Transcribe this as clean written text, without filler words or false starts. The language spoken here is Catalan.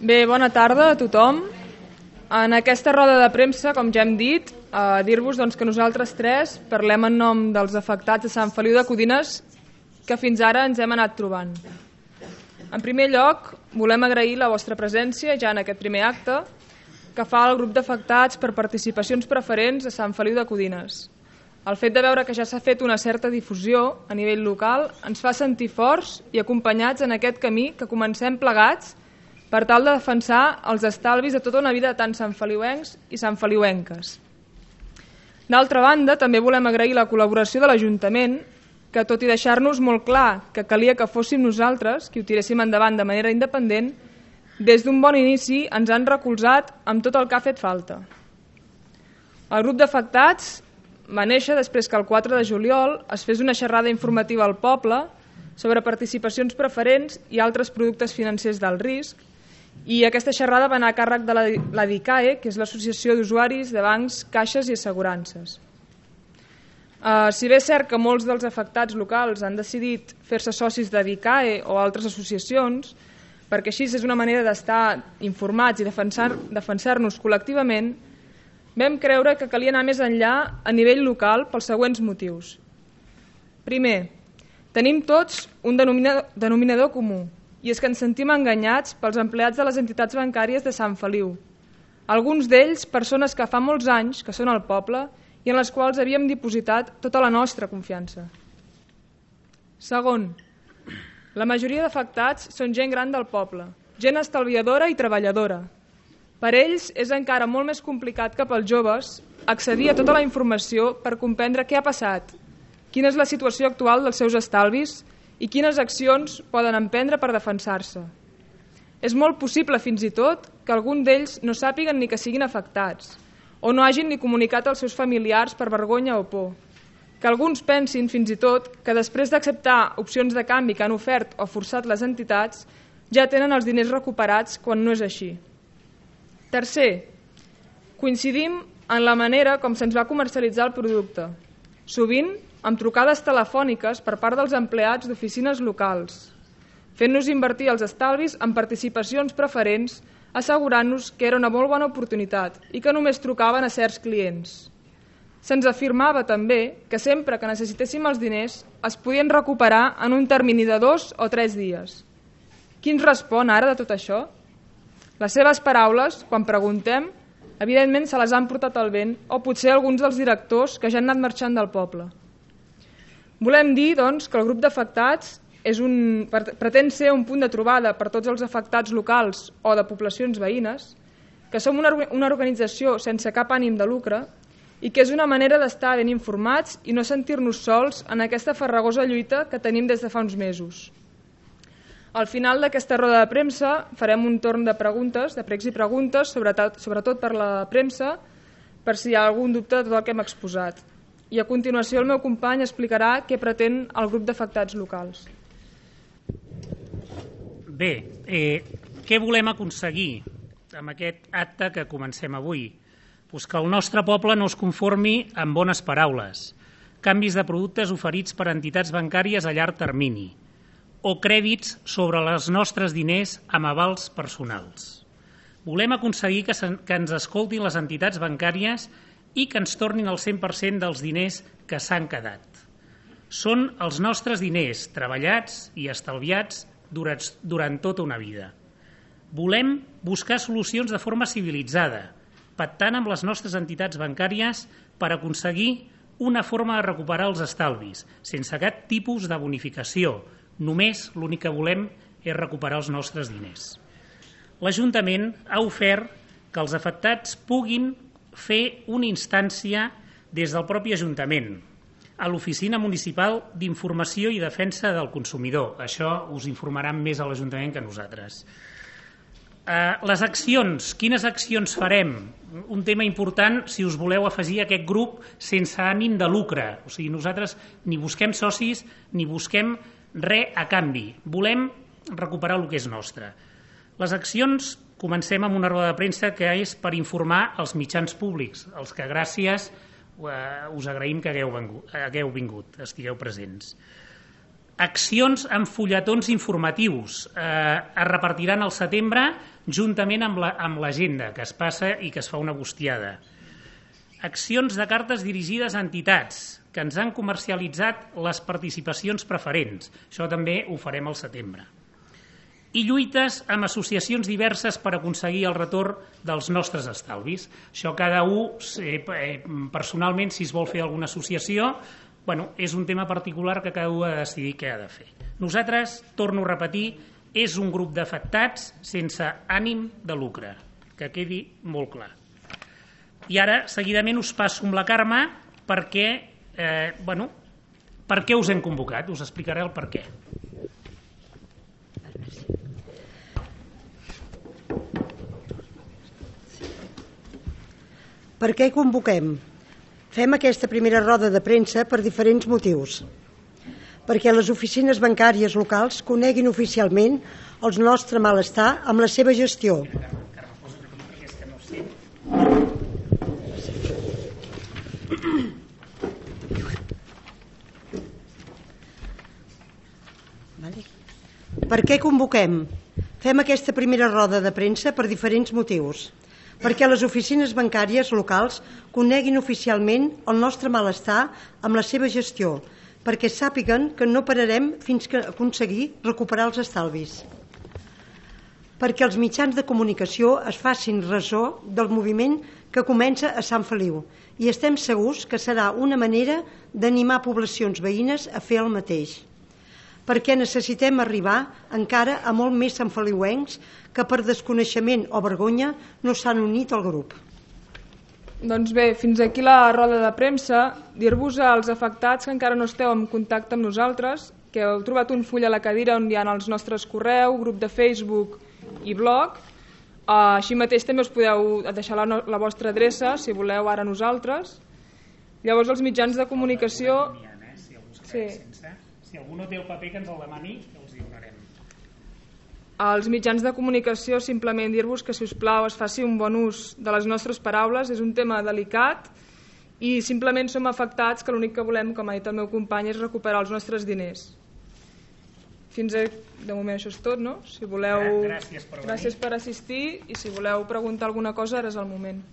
Bé, bona tarda a tothom. En aquesta roda de premsa, com ja hem dit, dir-vos que nosaltres tres parlem en nom dels afectats de Sant Feliu de Codines que fins ara ens hem anat trobant. En primer lloc, volem agrair la vostra presència ja en aquest primer acte que fa el grup d'afectats per participacions preferents a Sant Feliu de Codines. El fet de veure que ja s'ha fet una certa difusió a nivell local ens fa sentir forts i acompanyats en aquest camí que comencem plegats per tal de defensar els estalvis de tota una vida de tant santfeliuencs i santfeliuenques. D'altra banda, també volem agrair la col·laboració de l'Ajuntament, que tot i deixar-nos molt clar que calia que fóssim nosaltres qui ho tiréssim endavant de manera independent, des d'un bon inici ens han recolzat amb tot el que ha fet falta. El grup d'afectats va néixer després que el 4 de juliol es fes una xerrada informativa al poble sobre participacions preferents i altres productes financers d'alt risc, i aquesta xerrada va anar a càrrec de la DICAE, que és l'Associació d'Usuaris de Bancs, Caixes i Assegurances. Si bé és cert que molts dels afectats locals han decidit fer-se socis de DICAE o altres associacions, perquè així és una manera d'estar informats i defensar-nos col·lectivament, vam creure que calia anar més enllà a nivell local pels següents motius. Primer, tenim tots un denominador comú, i és que ens sentim enganyats pels empleats de les entitats bancàries de Sant Feliu. Alguns d'ells, persones que fa molts anys que són al poble i en les quals havíem dipositat tota la nostra confiança. Segon, la majoria d'afectats són gent gran del poble, gent estalviadora i treballadora. Per ells és encara molt més complicat que pels joves accedir a tota la informació per comprendre què ha passat, quina és la situació actual dels seus estalvis i quines accions poden emprendre per defensar-se. És molt possible, fins i tot, que algun d'ells no sàpiguen ni que siguin afectats o no hagin ni comunicat als seus familiars per vergonya o por. Que alguns pensin, fins i tot, que després d'acceptar opcions de canvi que han ofert o forçat les entitats, ja tenen els diners recuperats quan no és així. Tercer, coincidim en la manera com se'ns va comercialitzar el producte, sovint amb trucades telefòniques per part dels empleats d'oficines locals, fent-nos invertir els estalvis en participacions preferents, assegurant-nos que era una molt bona oportunitat i que només trucaven a certs clients. Se'ns afirmava també que sempre que necessitéssim els diners es podien recuperar en un termini de 2 o 3 dies. Qui ens respon ara de tot això? Les seves paraules, quan preguntem, evidentment se les han portat al vent o potser alguns dels directors que ja han anat marxant del poble. Volem dir, doncs, que el grup d'afectats pretén ser un punt de trobada per tots els afectats locals o de poblacions veïnes, que som una organització sense cap ànim de lucre i que és una manera d'estar ben informats i no sentir-nos sols en aquesta farragosa lluita que tenim des de fa uns mesos. Al final d'aquesta roda de premsa farem un torn de preguntes, de pregs i preguntes, sobretot per la premsa, per si hi ha algun dubte de tot el que hem exposat. I a continuació el meu company explicarà què pretén el grup d'afectats locals. Bé, què volem aconseguir amb aquest acte que comencem avui? Pues que el nostre poble no es conformi amb bones paraules, canvis de productes oferits per entitats bancàries a llarg termini o crèdits sobre els nostres diners amb avals personals. Volem aconseguir que ens escoltin les entitats bancàries i que ens tornin el 100% dels diners que s'han quedat. Són els nostres diners treballats i estalviats durant tota una vida. Volem buscar solucions de forma civilitzada, pactant amb les nostres entitats bancàries per aconseguir una forma de recuperar els estalvis, sense cap tipus de bonificació. Només l'únic que volem és recuperar els nostres diners. L'Ajuntament ha ofert que els afectats puguin fer una instància des del propi Ajuntament a l'Oficina Municipal d'Informació i Defensa del Consumidor. Això us informaran més a l'Ajuntament que nosaltres. Les accions, quines accions farem? Un tema important si us voleu afegir a aquest grup sense ànim de lucre. O sigui, nosaltres ni busquem socis ni busquem res a canvi. Volem recuperar el que és nostre. Les accions, comencem amb una roda de premsa que és per informar els mitjans públics, els que gràcies us agraïm que hagueu vingut, estigueu presents. Accions amb fulletons informatius. Es repartiran al setembre juntament amb l'agenda que es passa i que es fa una bustiada. Accions de cartes dirigides a entitats que ens han comercialitzat les participacions preferents. Això també ho farem al setembre. I lluites amb associacions diverses per aconseguir el retorn dels nostres estalvis. Això cada un, personalment, si es vol fer alguna associació, és un tema particular que cada un ha de decidir què ha de fer. Nosaltres, torno a repetir, és un grup d'afectats sense ànim de lucre, que quedi molt clar. I ara, seguidament, us passo amb la Carme perquè, per què us hem convocat? Us explicaré el per què. Per què convoquem? Fem aquesta primera roda de premsa per diferents motius. Perquè les oficines bancàries locals coneguin oficialment el nostre malestar amb la seva gestió. Per què convoquem? Fem aquesta primera roda de premsa per diferents motius. Perquè les oficines bancàries locals coneguin oficialment el nostre malestar amb la seva gestió, perquè sàpiguen que no pararem fins que aconseguir recuperar els estalvis. Perquè els mitjans de comunicació es facin ressò del moviment que comença a Sant Feliu i estem segurs que serà una manera d'animar poblacions veïnes a fer el mateix. Perquè necessitem arribar encara a molt més santfeliuencs que per desconeixement o vergonya no s'han unit al grup. Doncs bé, fins aquí la roda de premsa. Dir-vos als afectats que encara no esteu en contacte amb nosaltres, que heu trobat un full a la cadira on hi ha els nostres correu, grup de Facebook i blog. Així mateix també us podeu deixar la vostra adreça, si voleu, ara nosaltres. Llavors els mitjans de comunicació... Si algú no té el paper que ens el demani, els hi donarem. Els mitjans de comunicació, simplement dir-vos que, si us plau, es faci un bon ús de les nostres paraules. És un tema delicat i simplement som afectats que l'únic que volem, com ha dit el meu company, és recuperar els nostres diners. Fins a... de moment això és tot, no? Si voleu... Gràcies per venir. Gràcies per assistir i si voleu preguntar alguna cosa, ara és el moment.